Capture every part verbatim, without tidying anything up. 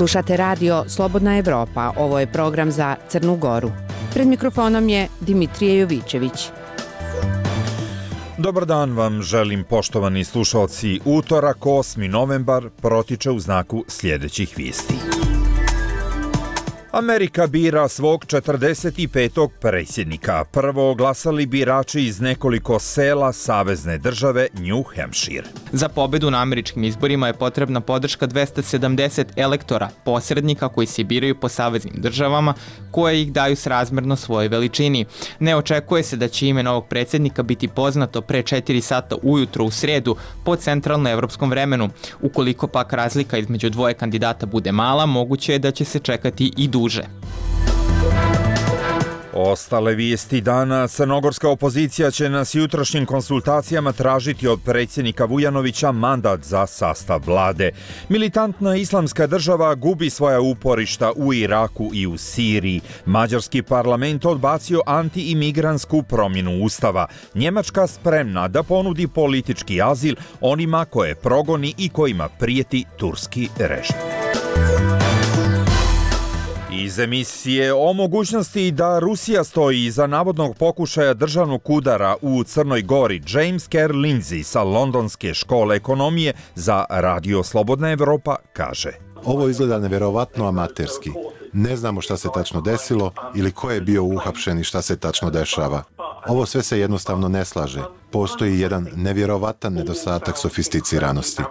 Slušate radio Slobodna Evropa, ovo je program za Crnu Goru. Pred mikrofonom je Dimitrije Jovićević. Dobar dan vam želim, poštovani slušalci. Utorak, osmi novembar, protiče u znaku sljedećih vijesti. Amerika bira svog četrdeset petog predsjednika. Prvo glasali birači iz nekoliko sela savezne države New Hampshire. Za pobedu na američkim izborima je potrebna podrška dvesta sedamdeset elektora, posrednika koji se biraju po saveznim državama, koje ih daju srazmjerno svojoj veličini. Ne očekuje se da će ime novog predsjednika biti poznato pre četiri sata ujutro u sredu po centralnoevropskom vremenu. Ukoliko pak razlika između dvoje kandidata bude mala, moguće je da će se čekati i duže. Ostale vijesti dana. Crnogorska opozicija će na jutrošnjim konsultacijama tražiti od predsjednika Vujanovića mandat za sastav vlade. Militantna islamska država gubi svoja uporišta u Iraku i u Siriji. Mađarski parlament odbacio anti-imigrantsku promjenu ustava. Njemačka spremna da ponudi politički azil onima koje progoni i kojima prijeti turski režim. Iz emisije o mogućnosti da Rusija stoji iza navodnog pokušaja državnog udara u Crnoj Gori, James Kerr Lindsay sa Londonske škole ekonomije za Radio Slobodna Evropa kaže: Ovo izgleda nevjerovatno amaterski. Ne znamo šta se tačno desilo ili ko je bio uhapšen i šta se tačno dešava. Ovo sve se jednostavno ne slaže. Postoji jedan nevjerovatan nedostatak sofisticiranosti.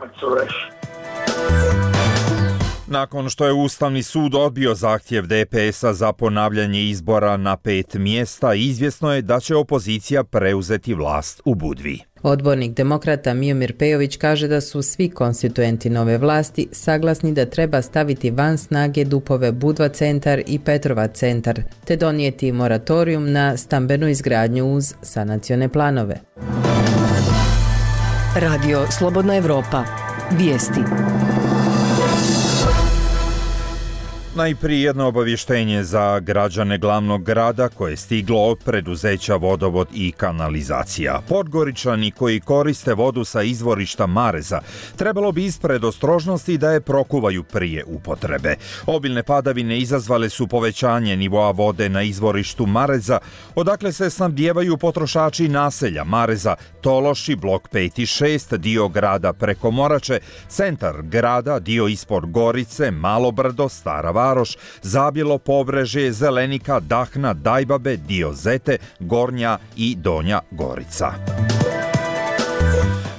Nakon što je Ustavni sud odbio zahtjev D P S-a za ponavljanje izbora na pet mjesta, izvjesno je da će opozicija preuzeti vlast u Budvi. Odbornik demokrata Miomir Pejović kaže da su svi konstituenti nove vlasti saglasni da treba staviti van snage Dupove Budva centar i Petrova centar, te donijeti moratorijum na stambenu izgradnju uz sanacione planove. Radio Slobodna Evropa. Vijesti. Najprije jedno obavještenje za građane glavnog grada koje je stiglo od preduzeća Vodovod i kanalizacija. Podgoričani koji koriste vodu sa izvorišta Mareza trebalo bi ispred ostrožnosti da je prokuvaju prije upotrebe. Obilne padavine izazvale su povećanje nivoa vode na izvorištu Mareza, odakle se snabdijevaju potrošači naselja Mareza, Tološi, blok pet i šest, dio grada preko Morače, centar grada, dio ispod Gorice, Malobrdo, Stara Varoš, Zabjelo Pobrežje, Zelenika, Dahna, Dajbabe, dio Zete, Gornja i Donja Gorica.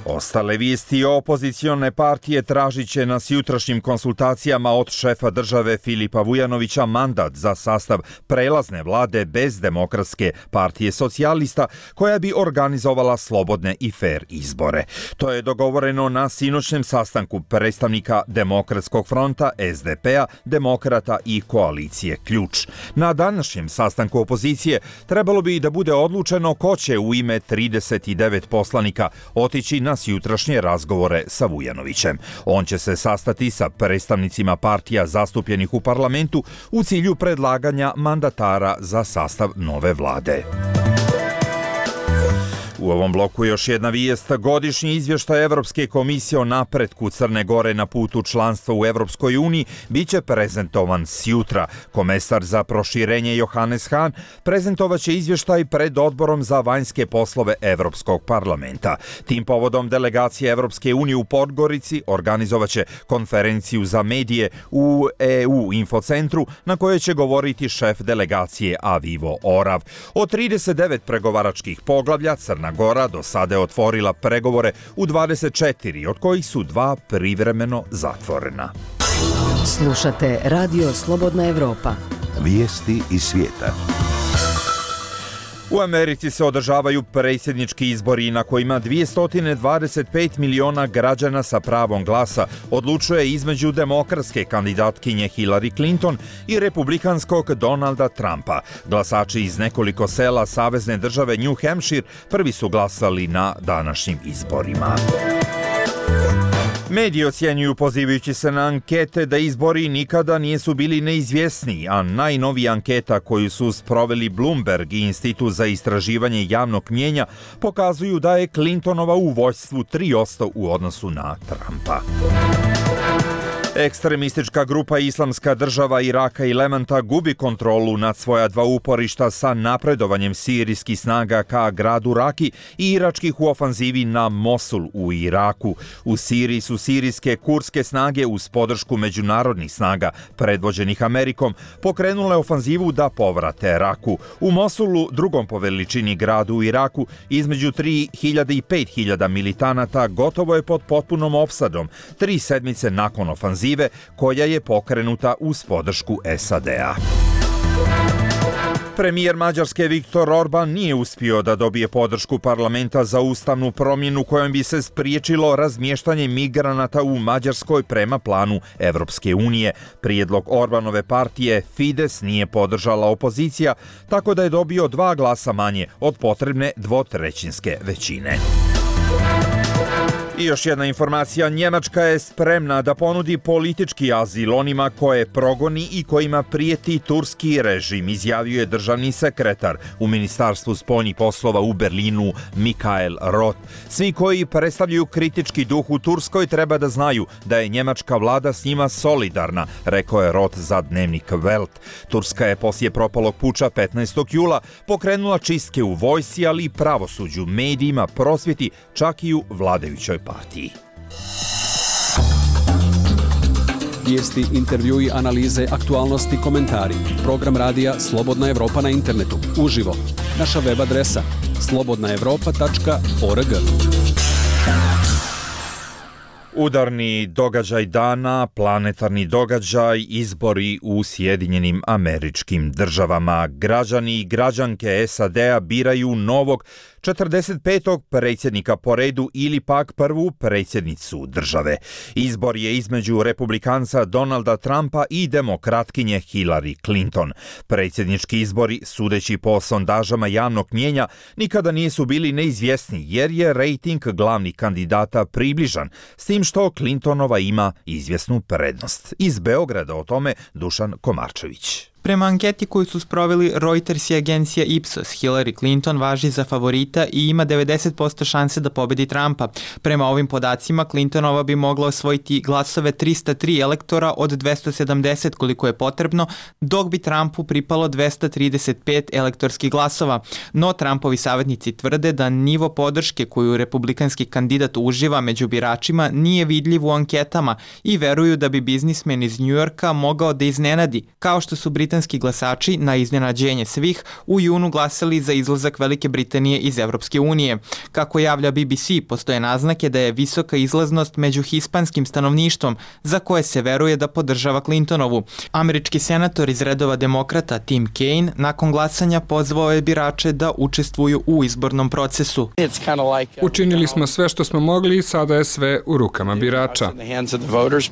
Ostale vijesti. Opozicione partije tražit će na jutrašnjim konsultacijama od šefa države Filipa Vujanovića mandat za sastav prelazne vlade bez Demokratske partije socijalista koja bi organizovala slobodne i fer izbore. To je dogovoreno na sinoćnem sastanku predstavnika Demokratskog fronta, S D P-a, Demokrata i koalicije Ključ. Na današnjem sastanku opozicije trebalo bi da bude odlučeno ko će u ime trideset devet poslanika otići na jutrašnje razgovore sa Vujanovićem. On će se sastati sa predstavnicima partija zastupljenih u parlamentu u cilju predlaganja mandatara za sastav nove vlade. U ovom bloku još jedna vijest. Godišnji izvještaj Evropske komisije o napretku Crne Gore na putu članstva u Evropskoj uniji biće prezentovan sjutra. Komesar za proširenje Johannes Hahn prezentovat će izvještaj pred odborom za vanjske poslove Evropskog parlamenta. Tim povodom delegacija Evropske unije u Podgorici organizovat će konferenciju za medije u E U infocentru na kojoj će govoriti šef delegacije Avivo Orav. Od trideset devet pregovaračkih poglavlja Crna Gora do sada je otvorila pregovore u dvadeset četiri, od kojih su dva privremeno zatvorena. Slušate Radio Slobodna Evropa. Vijesti iz svijeta. U Americi se održavaju predsjednički izbori na kojima dvjesto dvadeset pet miliona građana sa pravom glasa odlučuje između demokratske kandidatkinje Hillary Clinton i republikanskog Donalda Trumpa. Glasači iz nekoliko sela savezne države New Hampshire prvi su glasali na današnjim izborima. Mediji ocjenjuju, pozivajući se na ankete, da izbori nikada nisu bili neizvjesniji, a najnovija anketa koju su sproveli Bloomberg i Institut za istraživanje javnog mnijenja pokazuju da je Clintonova u vođstvu tri posto u odnosu na Trumpa. Ekstremistička grupa Islamska država Iraka i Levanta gubi kontrolu nad svoja dva uporišta sa napredovanjem sirijskih snaga ka gradu Raki i iračkih u ofanzivi na Mosul u Iraku. U Siriji su sirijske kurske snage uz podršku međunarodnih snaga, predvođenih Amerikom, pokrenule ofanzivu da povrate Raku. U Mosulu, drugom po veličini gradu u Iraku, između tri hiljade i pet hiljada militanata gotovo je pod potpunom opsadom, tri sedmice nakon ofanzive koja je pokrenuta uz podršku S A D-a. Premijer Mađarske Viktor Orban nije uspio da dobije podršku parlamenta za ustavnu promjenu kojom bi se spriječilo razmještanje migranata u Mađarskoj prema planu Evropske unije. Prijedlog Orbanove partije Fides nije podržala opozicija, tako da je dobio dva glasa manje od potrebne dvotrećinske većine. I još jedna informacija, Njemačka je spremna da ponudi politički azil onima koje progoni i kojima prijeti turski režim, izjavio je državni sekretar u Ministarstvu spoljnih poslova u Berlinu Michael Roth. Svi koji predstavljaju kritički duh u Turskoj treba da znaju da je njemačka vlada s njima solidarna, rekao je Roth za dnevnik Welt. Turska je poslije propalog puča petnaestog jula pokrenula čistke u vojsci, ali i pravosuđu, medijima, prosvjeti, čak i u vladajućoj partiji. Vijesti, intervjui, analize, aktualnosti, komentari. Program radija Slobodna Evropa na internetu. Uživo. Naša web adresa slobodna evropa tačka org. Udarni događaj dana, planetarni događaj, izbori u Sjedinjenim Američkim Državama. Građani i građanke S A D-a biraju novog četrdeset petog predsjednika po redu ili pak prvu predsjednicu države. Izbor je između republikanca Donalda Trumpa i demokratkinje Hillary Clinton. Predsjednički izbori, sudeći po sondažama javnog mnijenja, nikada nisu bili neizvjesni jer je rejting glavnih kandidata približan, s tim što Clintonova ima izvjesnu prednost. Iz Beograda o tome Dušan Komarčević. Prema anketi koju su sproveli Reuters i agencija Ipsos, Hillary Clinton važi za favorita i ima devedeset posto šanse da pobedi Trumpa. Prema ovim podacima, Clintonova bi mogla osvojiti glasove trista tri elektora od dvesta sedamdeset koliko je potrebno, dok bi Trumpu pripalo dvesta trideset pet elektorskih glasova. No, Trumpovi savjetnici tvrde da nivo podrške koju republikanski kandidat uživa među biračima nije vidljiv u anketama i veruju da bi biznismen iz Njujorka mogao da iznenadi, kao što su britanski glasači na iznenađenje svih u junu glasali za izlazak Velike Britanije iz Evropske unije. Kako javlja B B C, postoje naznake da je visoka izlaznost među hispanskim stanovništvom za koje se veruje da podržava Clintonovu. Američki senator iz redova demokrata Tim Kaine nakon glasanja pozvao je birače da učestvuju u izbornom procesu. Učinili smo sve što smo mogli i sada je sve u rukama birača.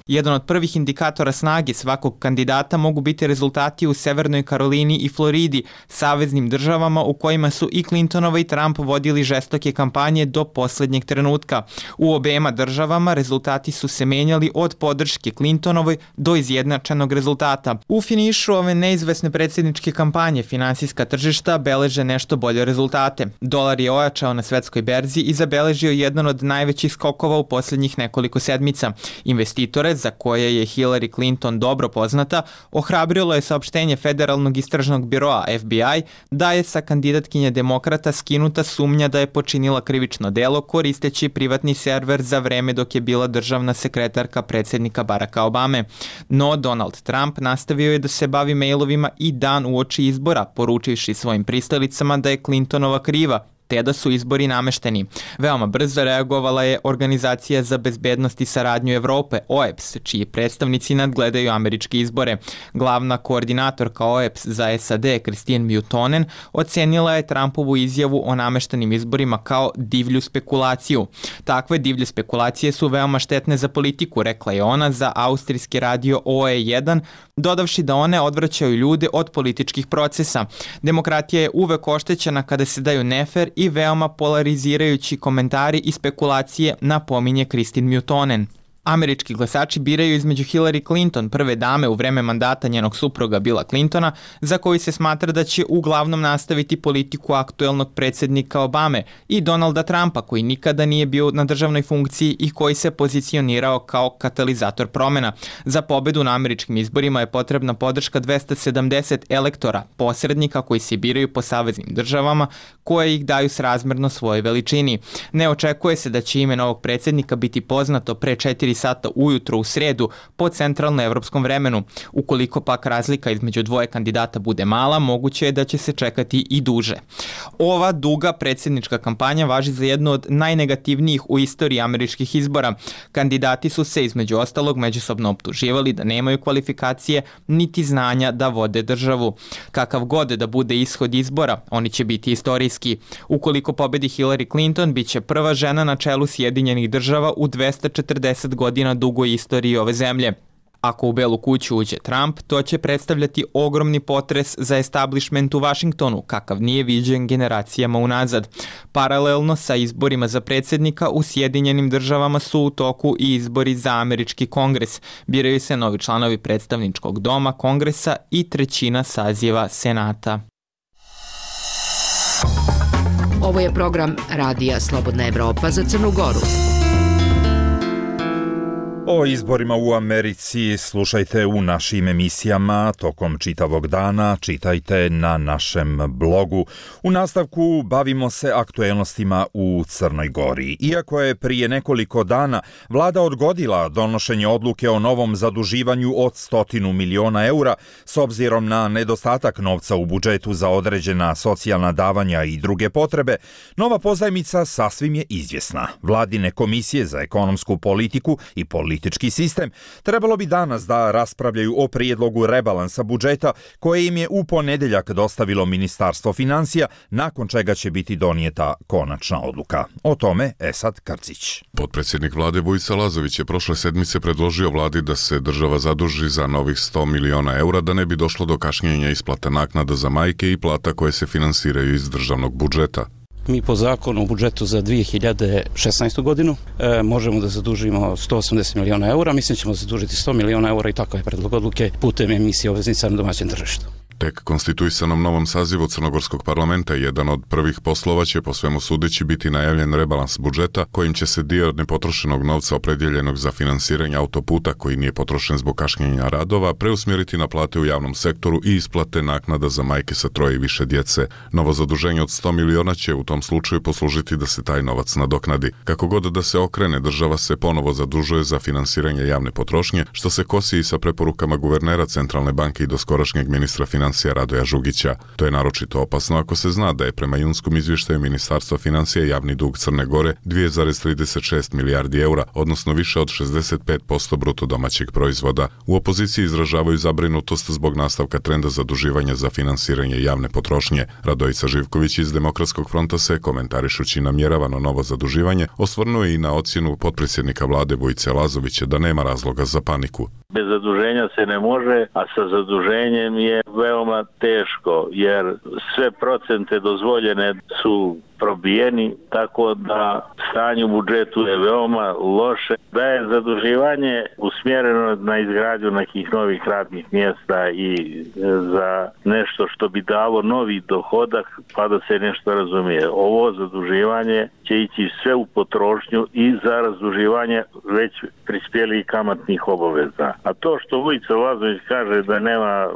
Jedan od prvih indikatora snage svakog kandidata mogu biti rezultati u Severnoj Karolini i Floridi, saveznim državama u kojima su i Clintonova i Trump vodili žestoke kampanje do posljednjeg trenutka. U obema državama rezultati su se menjali od podrške Clintonovoj do izjednačenog rezultata. U finišu ove neizvesne predsjedničke kampanje finansijska tržišta beleže nešto bolje rezultate. Dolar je ojačao na svetskoj berzi i zabeležio jedan od najvećih skokova u posljednjih nekoliko sedmica. Investitore, za koje je Hillary Clinton dobro poznata, ohrabrilo je saopštenje Federalnog istražnog biroa F B I da je sa kandidatkinje demokrata skinuta sumnja da je počinila krivično delo koristeći privatni server za vreme dok je bila državna sekretarka predsjednika Baracka Obame. No, Donald Trump nastavio je da se bavi mailovima i dan uoči izbora, poručivši svojim pristalicama da je Clintonova kriva, te da su izbori namešteni. Veoma brzo reagovala je Organizacija za bezbednost i saradnju Evrope, O E B S, čiji predstavnici nadgledaju američke izbore. Glavna koordinatorka O E B S za S A D, Christine Miotonen, ocenila je Trumpovu izjavu o nameštenim izborima kao divlju spekulaciju. Takve divlje spekulacije su veoma štetne za politiku, rekla je ona za austrijski radio O E jedan, dodavši da one odvraćaju ljude od političkih procesa. Demokratija je uvek oštećena kada se daju nefer i veoma polarizirajući komentari i spekulacije, napominje Christine Miotonen. Američki glasači biraju između Hillary Clinton, prve dame u vreme mandata njenog supruga Billa Clintona, za koji se smatra da će uglavnom nastaviti politiku aktuelnog predsjednika Obame, i Donalda Trumpa, koji nikada nije bio na državnoj funkciji i koji se pozicionirao kao katalizator promjena. Za pobedu na američkim izborima je potrebna podrška dvesta sedamdeset elektora, posrednika koji se biraju po saveznim državama, koje ih daju srazmjerno svojoj veličini. Ne očekuje se da će ime novog predsjednika biti poznato pre četiri sata ujutro u sredu po centralnoevropskom vremenu. Ukoliko pak razlika između dvoje kandidata bude mala, moguće je da će se čekati i duže. Ova duga predsjednička kampanja važi za jednu od najnegativnijih u istoriji američkih izbora. Kandidati su se između ostalog međusobno optuživali da nemaju kvalifikacije niti znanja da vode državu. Kakav god da bude ishod izbora, oni će biti istorijski. Ukoliko pobedi Hillary Clinton, bit će prva žena na čelu Sjedinjenih država u dvesta četrdeset godina dugoj istoriji ove zemlje. Ako u Belu kuću uđe Trump, to će predstavljati ogromni potres za establishment u Vašingtonu, kakav nije viđen generacijama unazad. Paralelno sa izborima za predsjednika u Sjedinjenim državama su u toku i izbori za američki kongres. Biraju se novi članovi predstavničkog doma, kongresa i trećina saziva senata. Ovo je program Radija Slobodna Evropa za Crnu Goru. O izborima u Americi slušajte u našim emisijama tokom čitavog dana, čitajte na našem blogu. U nastavku bavimo se aktuelnostima u Crnoj Gori. Iako je prije nekoliko dana vlada odgodila donošenje odluke o novom zaduživanju od stotinu miliona eura s obzirom na nedostatak novca u budžetu za određena socijalna davanja i druge potrebe, nova pozajmica sasvim je izvjesna. Vladine komisije za ekonomsku politiku i politiku Politički sistem trebalo bi danas da raspravljaju o prijedlogu rebalansa budžeta koje im je u ponedeljak dostavilo Ministarstvo financija, nakon čega će biti donijeta konačna odluka. O tome Esad Krcić. Potpredsjednik vlade Vujica Lazović je prošle sedmice predložio vladi da se država zaduži za novih sto miliona eura da ne bi došlo do kašnjenja isplate naknada za majke i plata koje se finansiraju iz državnog budžeta. Mi po zakonu o budžetu za dvije hiljade šesnaestu godinu e, možemo da zadužimo sto osamdeset miliona eura, mislim ćemo zadužiti sto miliona eura i takav je predlog odluke putem emisije obveznica na domaćem tržištu. Tek konstituisanom novom sazivu Crnogorskog parlamenta jedan od prvih poslova će po svemu sudeći biti najavljen rebalans budžeta kojim će se dio nepotrošenog novca opredjeljenog za finansiranje autoputa koji nije potrošen zbog kašnjenja radova preusmjeriti na plate u javnom sektoru i isplate naknada za majke sa troje i više djece. Novo zaduženje od sto miliona će u tom slučaju poslužiti da se taj novac nadoknadi. Kako god da se okrene, država se ponovo zadužuje za finansiranje javne potrošnje, što se kosi i sa preporukama guvernera Centralne banke i doskorašnjeg ministra financija Radoja Žugića. To je naročito opasno ako se zna da je prema junskom izvještaju Ministarstva financija javni dug Crne Gore dvije zarez trideset šest milijardi eura, odnosno više od šezdeset pet posto bruto domaćeg proizvoda. U opoziciji izražavaju zabrinutost zbog nastavka trenda zaduživanja za finansiranje javne potrošnje. Radojica Živković iz Demokratskog fronta se, komentarišući namjeravano novo zaduživanje, osvrnuo i na ocjenu potpredsjednika vlade Vujice Lazovića da nema razloga za paniku. Bez zaduženja se ne može, a sa zaduženjem je veoma teško, jer sve procente dozvoljene su probijeni, tako da stanje u budžetu je veoma loše. Da je zaduživanje usmjereno na izgradnju nekih novih radnih mjesta i za nešto što bi dalo novi dohodak, pa da se nešto razumije. Ovo zaduživanje će ići sve u potrošnju i za razduživanje već prispjelih kamatnih obaveza. A to što Vujica Lazović kaže da nema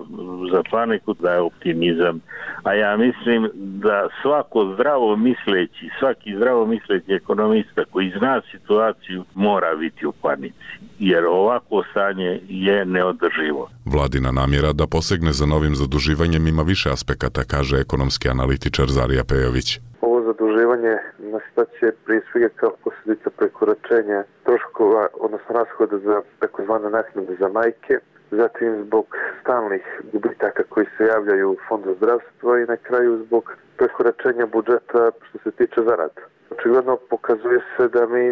za paniku, da je optimizam. A ja mislim da svako zdravo misleći, svaki zdravo misleći ekonomista koji zna situaciju mora biti u panici, jer ovako stanje je neodrživo. Vladina namjera da posegne za novim zaduživanjem ima više aspekata, kaže ekonomski analitičar Zarija Pejović. Ovo zaduživanje nastaće prije svega kao posljedica prekoračenja troškova, odnosno rashoda za takozvane naknade za majke, zatim zbog stalnih gubitaka koji se javljaju u Fondu zdravstva i na kraju zbog prekoračenja budžeta što se tiče zarada. Očigledno pokazuje se da mi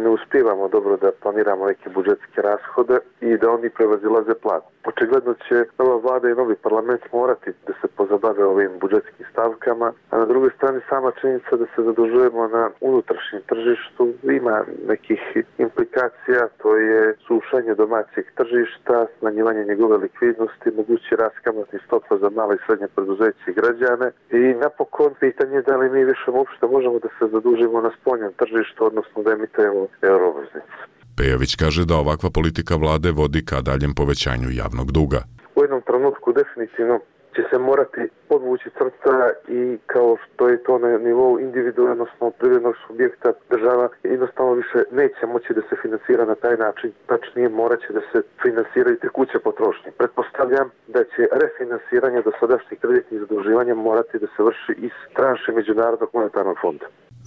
ne uspijevamo dobro da planiramo neke budžetske rashode i da oni prevazilaze plan. Očigledno će nova vlada i novi parlament morati da se pozabave ovim budžetskim stavkama, a na drugoj strani sama činjenica da se zadužujemo na unutrašnjem tržištu ima nekih implikacija, to je sušanje domaćeg tržišta, smanjivanje njegove likvidnosti, mogući rast kamatnih stopa za male i srednje preduzeće i građane i napokon pitanje da li mi više uopšte možemo da se zadužimo na spoljnom tržištu, odnosno da emitujemo euroobveznice. Pejović kaže da ovakva politika vlade vodi ka daljem povećanju javnog duga. U jednom trenutku definitivno će se morati podvući crta i kao što je to na nivou individualnog, odnosno privrednog subjekta, država jednostavno više neće moći da se finansira na taj način, tačnije morat će da se finansiraju tekuće potrošnje. Pretpostavljam da će refinansiranje dosadašnjih kreditnih zaduživanja morati da se vrši iz tranše Međunarodnog monetarnog fonda.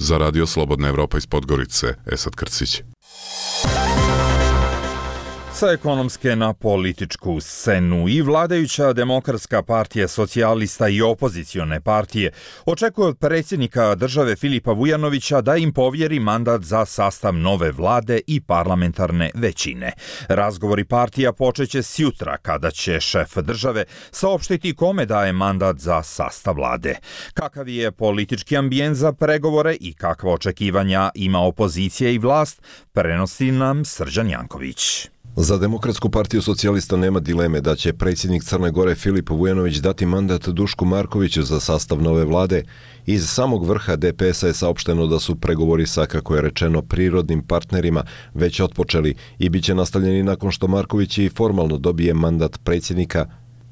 Za Radio Slobodna Evropa iz Podgorice, Esad Krcić. Sa ekonomske na političku scenu i vladajuća Demokratska partija socijalista i opozicione partije očekuje od predsjednika države Filipa Vujanovića da im povjeri mandat za sastav nove vlade i parlamentarne većine. Razgovori partija počeće sjutra kada će šef države saopštiti kome daje mandat za sastav vlade. Kakav je politički ambijent za pregovore i kakva očekivanja ima opozicija i vlast, prenosi nam Srđan Janković. Za Demokratsku partiju socijalista nema dileme da će predsjednik Crne Gore Filip Vujanović dati mandat Dušku Markoviću za sastav nove vlade. Iz samog vrha D P S-a je saopšteno da su pregovori sa, kako je rečeno, prirodnim partnerima već otpočeli i bit će nastavljeni nakon što Marković i formalno dobije mandat predsjednika.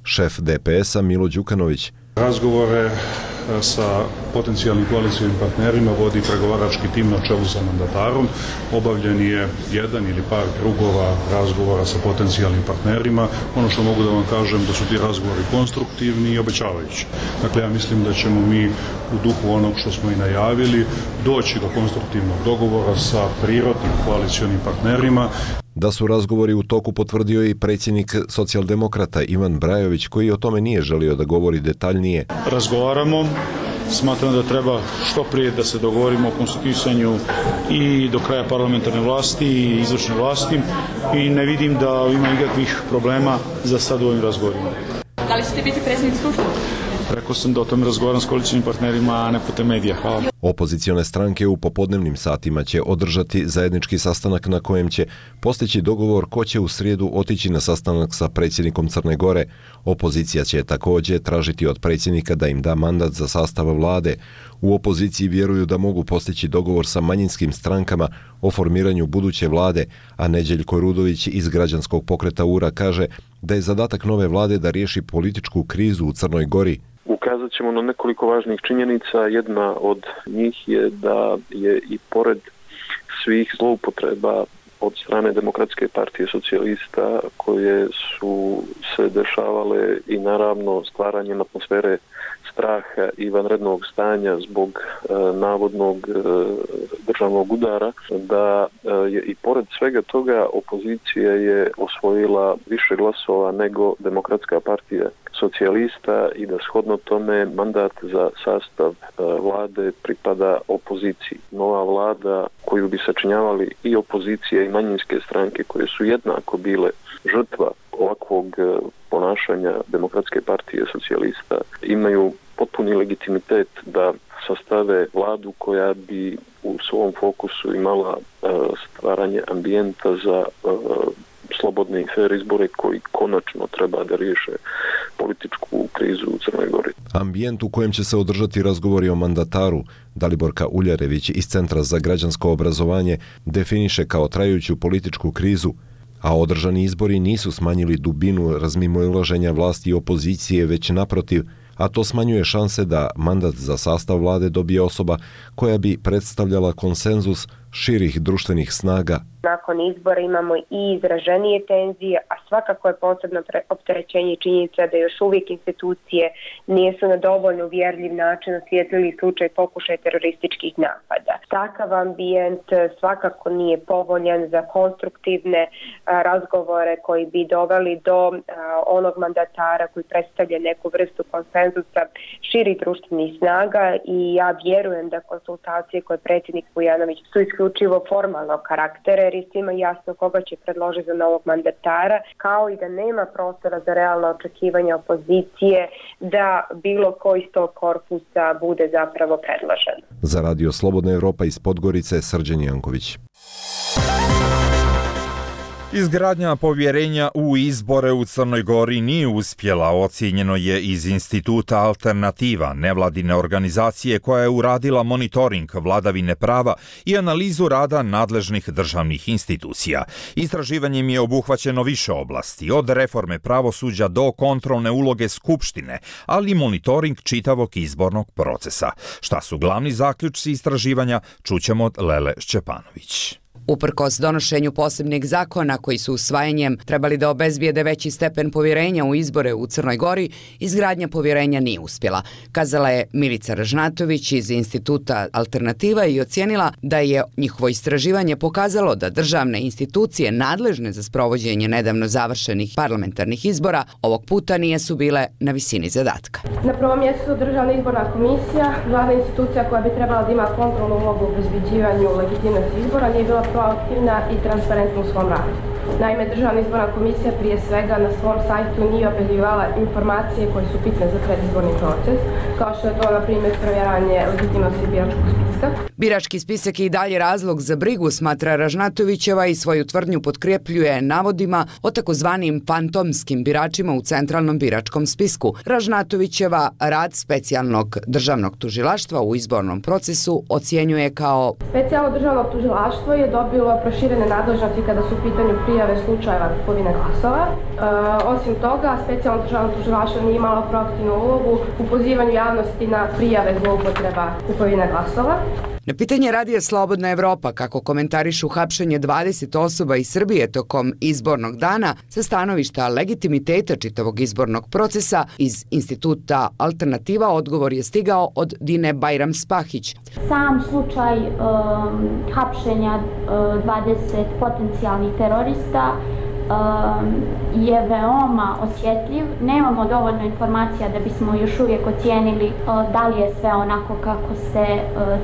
Šef D P S-a Milo Đukanović. Razgovore sa potencijalnim koalicijskim partnerima vodi pregovarački tim na čelu sa mandatarom. Obavljen je jedan ili par krugova razgovora sa potencijalnim partnerima. Ono što mogu da vam kažem da su ti razgovori konstruktivni i obećavajući. Dakle, ja mislim da ćemo mi u duhu onog što smo i najavili doći do konstruktivnog dogovora sa prirodnim koalicijskim partnerima. Da su razgovori u toku potvrdio i predsjednik socijaldemokrata Ivan Brajović, koji o tome nije želio da govori detaljnije. Razgovaramo, smatram da treba što prije da se dogovorimo o konstituisanju i do kraja parlamentarne vlasti i izvršne vlasti i ne vidim da ima nikakvih problema za sad u ovim razgovorima. Da li ćete biti predsjednik Skupštine? Rekao sam da o tome razgovaram s koalicijskim partnerima, a ne putem medija. Hvala. Opozicione stranke u popodnevnim satima će održati zajednički sastanak na kojem će postići dogovor ko će u srijedu otići na sastanak sa predsjednikom Crne Gore. Opozicija će također tražiti od predsjednika da im da mandat za sastav vlade. U opoziciji vjeruju da mogu postići dogovor sa manjinskim strankama o formiranju buduće vlade, a Neđeljko Rudović iz građanskog pokreta U R A kaže da je zadatak nove vlade da riješi političku krizu u Crnoj Gori. Ukazat ćemo na nekoliko važnih činjenica. Jedna od njih je da je i pored svih zloupotreba od strane Demokratske partije socijalista koje su se dešavale i naravno stvaranjem atmosfere straha i vanrednog stanja zbog e, navodnog e, državnog udara, da e, je i pored svega toga opozicija je osvojila više glasova nego Demokratska partija socijalista i da shodno tome mandat za sastav e, vlade pripada opoziciji. Nova vlada koju bi sačinjavali i opozicija i manjinske stranke koje su jednako bile žrtva ovakvog ponašanja Demokratske partije socijalista imaju potpuni legitimitet da sastave vladu koja bi u svom fokusu imala uh, stvaranje ambijenta za uh, slobodne i fer izbore koji konačno treba da riješe političku krizu u Crnoj Gori. Ambijent u kojem će se održati razgovori o mandataru Daliborka Uljarević iz Centra za građansko obrazovanje definiše kao trajuću političku krizu, a održani izbori nisu smanjili dubinu razmimoilaženja vlasti i opozicije, već naprotiv, a to smanjuje šanse da mandat za sastav vlade dobije osoba koja bi predstavljala konsenzus širih društvenih snaga. Nakon izbora imamo i izraženije tenzije, a svakako je posebno opterećenje činjenica da još uvijek institucije nisu na dovoljno uvjerljiv način osvijetlili slučaj pokušaja terorističkih napada. Takav ambijent svakako nije povoljan za konstruktivne razgovore koji bi doveli do onog mandatara koji predstavlja neku vrstu konsenzusa širih društvenih snaga i ja vjerujem da konsultacije koje predsjednik Vujanović su isključivo formalnog karaktera, jer je svima jasno koga će predložiti za novog mandatara, kao i da nema prostora za realno očekivanje opozicije da bilo koji iz tog korpusa bude zapravo predložen. Za Radio Slobodna Evropa iz Podgorice, Srđan Janković. Izgradnja povjerenja u izbore u Crnoj Gori nije uspjela, ocijenjeno je iz Instituta Alternativa, nevladine organizacije koja je uradila monitoring vladavine prava i analizu rada nadležnih državnih institucija. Istraživanjem je obuhvaćeno više oblasti, od reforme pravosuđa do kontrolne uloge Skupštine, ali i monitoring čitavog izbornog procesa. Šta su glavni zaključci istraživanja, čućemo od Lele Šćepanović. Uprkos donošenju posebnih zakona koji su usvajanjem trebali da obezbijede veći stepen povjerenja u izbore u Crnoj Gori, izgradnja povjerenja nije uspjela, kazala je Milica Ražnatović iz Instituta Alternativa i ocijenila da je njihovo istraživanje pokazalo da državne institucije nadležne za sprovođenje nedavno završenih parlamentarnih izbora ovog puta nisu bile na visini zadatka. Na prvom mjestu Državna izborna komisija, glavna institucija koja bi trebala da ima kontrolnu ulogu u obezbeđivanju legitimnosti izbora, nije bila proaktivna i transparentna u svom radu. Naime, Državna izborna komisija prije svega na svom sajtu nije objavljivala informacije koje su bitne za predizborni proces, kao što je to, na primjer, provjeravanje legitimnosti biračkog spiska. Birački spisak je i dalje razlog za brigu, smatra Ražnatovićeva, i svoju tvrdnju potkrepljuje navodima o takozvanim fantomskim biračima u centralnom biračkom spisku. Ražnatovićeva rad specijalnog državnog tužilaštva u izbornom procesu ocjenjuje kao: Specijalno državno tužilaštvo je dobilo proširene nadležnosti kada su u pitanju prijave slučajeva kupovine glasova. E, osim toga, specijalno državno tužilaštvo nije imalo proaktivnu ulogu u pozivanju javnosti na prijave zloupotreba kupovine glasova. Na pitanje Radija Slobodna Evropa kako komentarišu hapšenje dvadeset osoba iz Srbije tokom izbornog dana sa stanovišta legitimiteta čitavog izbornog procesa, iz Instituta Alternativa odgovor je stigao od Dine Bajram-Spahić. Sam slučaj um, hapšenja uh, dvadeset potencijalnih terorista je veoma osjetljiv. Nemamo dovoljno informacija da bismo još uvijek ocijenili da li je sve onako kako se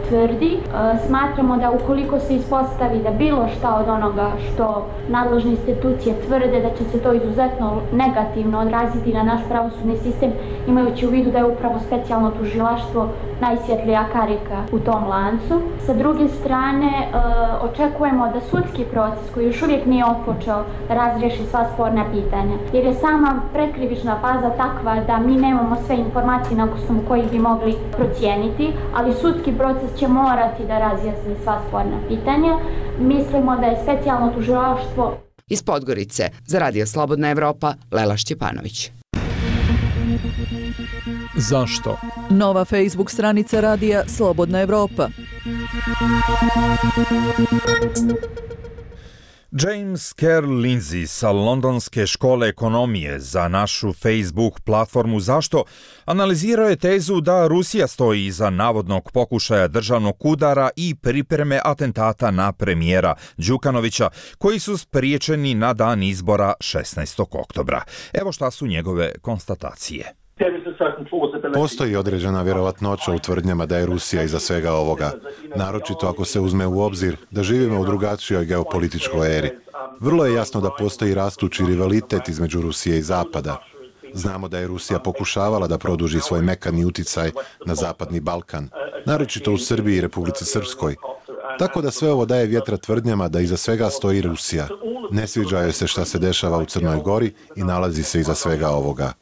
tvrdi. Smatramo da ukoliko se ispostavi da bilo šta od onoga što nadležne institucije tvrde, da će se to izuzetno negativno odraziti na naš pravosudni sistem, imajući u vidu da je upravo specijalno tužilaštvo najsvjetlija karika u tom lancu. Sa druge strane, očekujemo da sudski proces, koji još uvijek nije otpočeo, razriješi sva sporna pitanja. Jer je sama prekrivična faza takva da mi nemamo sve informacije na osnovu kojih bi mogli procijeniti, ali sudski proces će morati da razjasni sva sporna pitanja. Mislimo da je specijalno tužilaštvo... Iz Podgorice, za Radio Slobodna Evropa, Lela Šćepanović. Zašto? Nova Facebook stranica Radija Slobodna Evropa. James Kerr Lindsay sa Londonske škole ekonomije za našu Facebook platformu Zašto analizirao je tezu da Rusija stoji iza navodnog pokušaja državnog udara i pripreme atentata na premijera Đukanovića, koji su spriječeni na dan izbora šesnaestog oktobra. Evo šta su njegove konstatacije. Postoji određena vjerovatnoća u tvrdnjama da je Rusija iza svega ovoga, naročito ako se uzme u obzir da živimo u drugačijoj geopolitičkoj eri. Vrlo je jasno da postoji rastući rivalitet između Rusije i Zapada. Znamo da je Rusija pokušavala da produži svoj mekani uticaj na Zapadni Balkan, naročito u Srbiji i Republici Srpskoj. Tako da sve ovo daje vjetra tvrdnjama da iza svega stoji Rusija. Ne sviđa joj se šta se dešava u Crnoj Gori i nalazi se iza svega ovoga.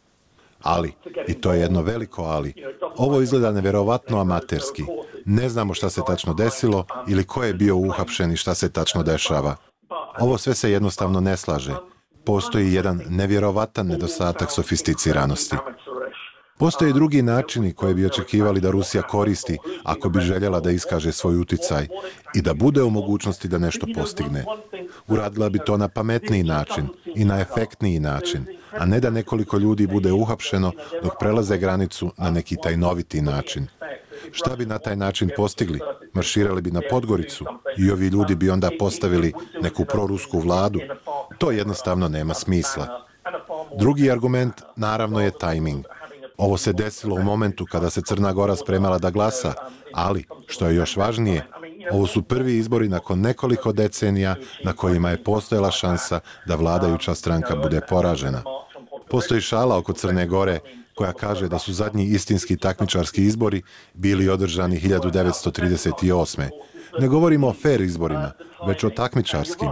Ali, i to je jedno veliko ali, ovo izgleda nevjerovatno amaterski. Ne znamo šta se tačno desilo ili ko je bio uhapšen i šta se tačno dešava. Ovo sve se jednostavno ne slaže. Postoji jedan nevjerovatan nedostatak sofisticiranosti. Postoje drugi načini koje bi očekivali da Rusija koristi ako bi željela da iskaže svoj uticaj i da bude u mogućnosti da nešto postigne. Uradila bi to na pametniji način i na efektniji način, a ne da nekoliko ljudi bude uhapšeno dok prelaze granicu na neki tajnoviti način. Šta bi na taj način postigli? Marširali bi na Podgoricu i ovi ljudi bi onda postavili neku prorusku vladu. To jednostavno nema smisla. Drugi argument, naravno, je tajming. Ovo se desilo u momentu kada se Crna Gora spremala da glasa, ali, što je još važnije, ovo su prvi izbori nakon nekoliko decenija na kojima je postojala šansa da vladajuća stranka bude poražena. Postoji šala oko Crne Gore koja kaže da su zadnji istinski takmičarski izbori bili održani hiljadu devetsto trideset osme. Ne govorimo o fair izborima, već o takmičarskim.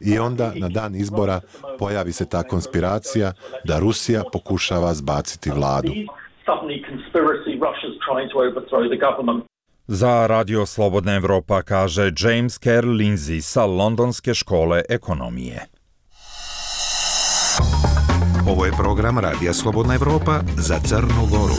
I onda, na dan izbora, pojavi se ta konspiracija da Rusija pokušava zbaciti vladu. Za Radio Slobodna Evropa kaže James Kerr Lindsay sa Londonske škole ekonomije. Ovo je program Radija Slobodna Evropa za Crnu Goru.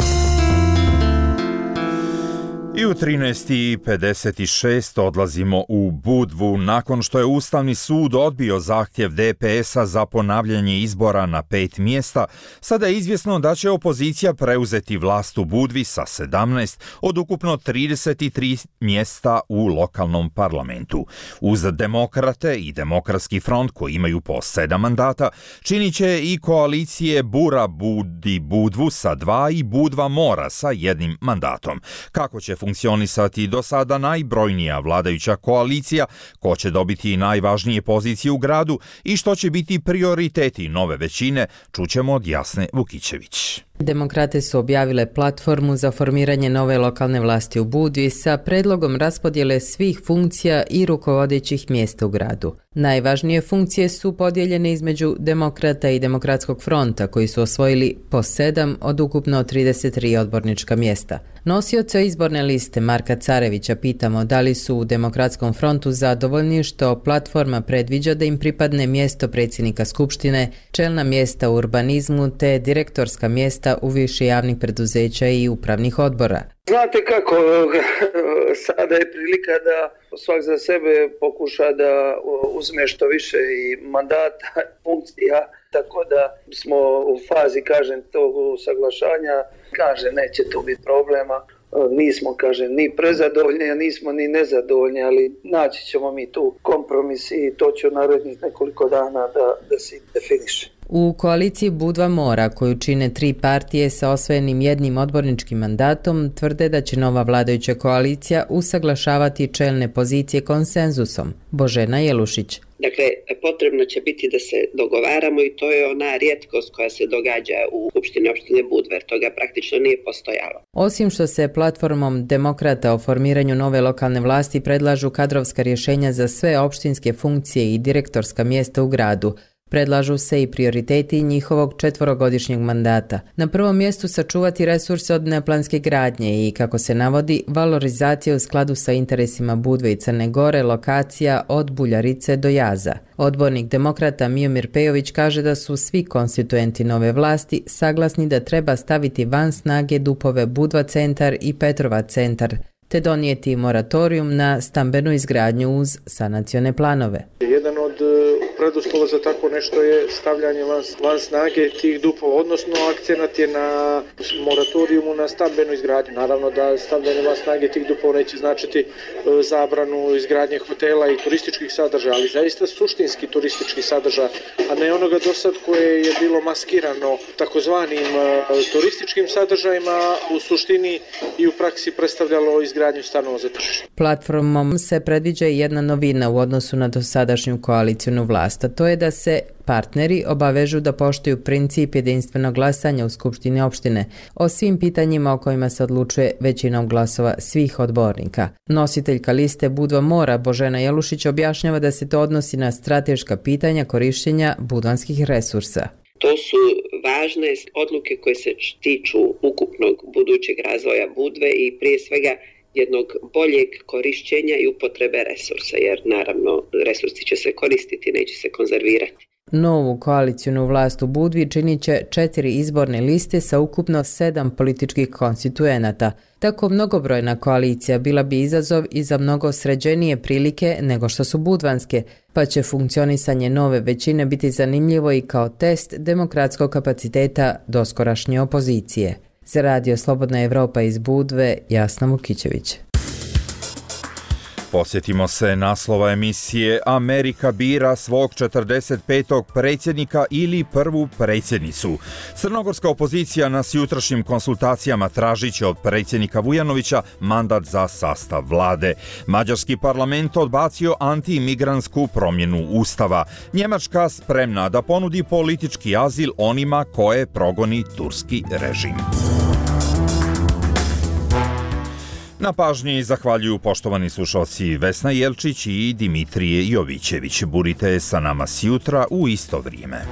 I u trinaest i pedeset šest odlazimo u Budvu nakon što je Ustavni sud odbio zahtjev D P S-a za ponavljanje izbora na pet mjesta. Sada je izvjesno da će opozicija preuzeti vlast u Budvi sa sedamnaest od ukupno trideset tri mjesta u lokalnom parlamentu. Uz Demokrate i Demokratski front koji imaju po sedam mandata, činit će i koalicije Bura Budi Budvu sa dva i Budva Mora sa jednim mandatom. Kako će funkcionisati do sada najbrojnija vladajuća koalicija, ko će dobiti najvažnije pozicije u gradu i što će biti prioriteti nove većine, čućemo od Jasne Vukićević. Demokrate su objavile platformu za formiranje nove lokalne vlasti u Budvi sa predlogom raspodjele svih funkcija i rukovodećih mjesta u gradu. Najvažnije funkcije su podijeljene između Demokrata i Demokratskog fronta koji su osvojili po sedam od ukupno trideset tri odbornička mjesta. Nosioca izborne liste Marka Carevića pitamo da li su u Demokratskom frontu zadovoljni što platforma predviđa da im pripadne mjesto predsjednika Skupštine, čelna mjesta u urbanizmu te direktorska mjesta u više javnih preduzeća i upravnih odbora. Znate kako, sada je prilika da svak za sebe pokuša da uzme što više i mandata, funkcija, tako da smo u fazi, kažem, tog usaglašanja. Kaže, neće tu biti problema. Nismo, kažem, ni prezadovoljni, a nismo ni nezadovoljni, ali naći ćemo mi tu kompromis i to će u narednih nekoliko dana da, da se definiše. U koaliciji Budva Mora, koju čine tri partije sa osvojenim jednim odborničkim mandatom, tvrde da će nova vladajuća koalicija usaglašavati čelne pozicije konsenzusom. Božena Jelušić. Dakle, potrebno će biti da se dogovaramo i to je ona rijetkost koja se događa u Skupštini opštine Budva, jer toga praktično nije postojalo. Osim što se platformom Demokrata o formiranju nove lokalne vlasti predlažu kadrovska rješenja za sve opštinske funkcije i direktorska mjesta u gradu, predlažu se i prioriteti njihovog četvorogodišnjeg mandata. Na prvom mjestu sačuvati resurse od neplanske gradnje i, kako se navodi, valorizacija u skladu sa interesima Budve i Crne Gore, lokacija od Buljarice do Jaza. Odbornik Demokrata Miomir Pejović kaže da su svi konstituenti nove vlasti saglasni da treba staviti van snage dupove Budva centar i Petrova centar, te donijeti moratorijum na stambenu izgradnju uz sanacione planove. Jedan od preduslova za tako nešto je stavljanje van, van snage tih dupova, odnosno akcenat je na moratorijumu na stambenu izgradnju. Naravno da stavljanje van snage tih dupova neće značiti zabranu izgradnje hotela i turističkih sadržaja, ali zaista suštinski turistički sadržaj, a ne onoga do sad koje je bilo maskirano takozvanim turističkim sadržajima, u suštini i u praksi predstavljalo izgradnju stanova za tržište. Platformom se predviđa i jedna novina u odnosu na dosadašnju koalicijnu vlast, a to je da se partneri obavežu da poštuju princip jedinstvenog glasanja u Skupštini opštine o svim pitanjima o kojima se odlučuje većinom glasova svih odbornika. Nositeljka liste Budva Mora Božena Jelušić objašnjava da se to odnosi na strateška pitanja korištenja budvanskih resursa. To su važne odluke koje se tiču ukupnog budućeg razvoja Budve i prije svega jednog boljeg korišćenja i upotrebe resursa, jer naravno resursi će se koristiti, neće se konzervirati. Novu koalicijnu vlast u Budvi činit će četiri izborne liste sa ukupno sedam političkih konstituenata. Tako mnogobrojna koalicija bila bi izazov i za mnogo sređenije prilike nego što su budvanske, pa će funkcionisanje nove većine biti zanimljivo i kao test demokratskog kapaciteta doskorašnje opozicije. Za Radio Slobodna Evropa iz Budve, Jasna Vukićević. Posjetimo se naslova emisije Amerika bira svog četrdeset petog predsjednika ili prvu predsjednicu. Crnogorska opozicija na jutrašnjim konsultacijama tražit će od predsjednika Vujanovića mandat za sastav vlade. Mađarski parlament odbacio anti-imigrantsku promjenu ustava. Njemačka spremna da ponudi politički azil onima koje progoni turski režim. Na pažnji zahvaljuju poštovani slušalci Vesna Jelčić i Dimitrije Jovićević. Budite sa nama sjutra u isto vrijeme.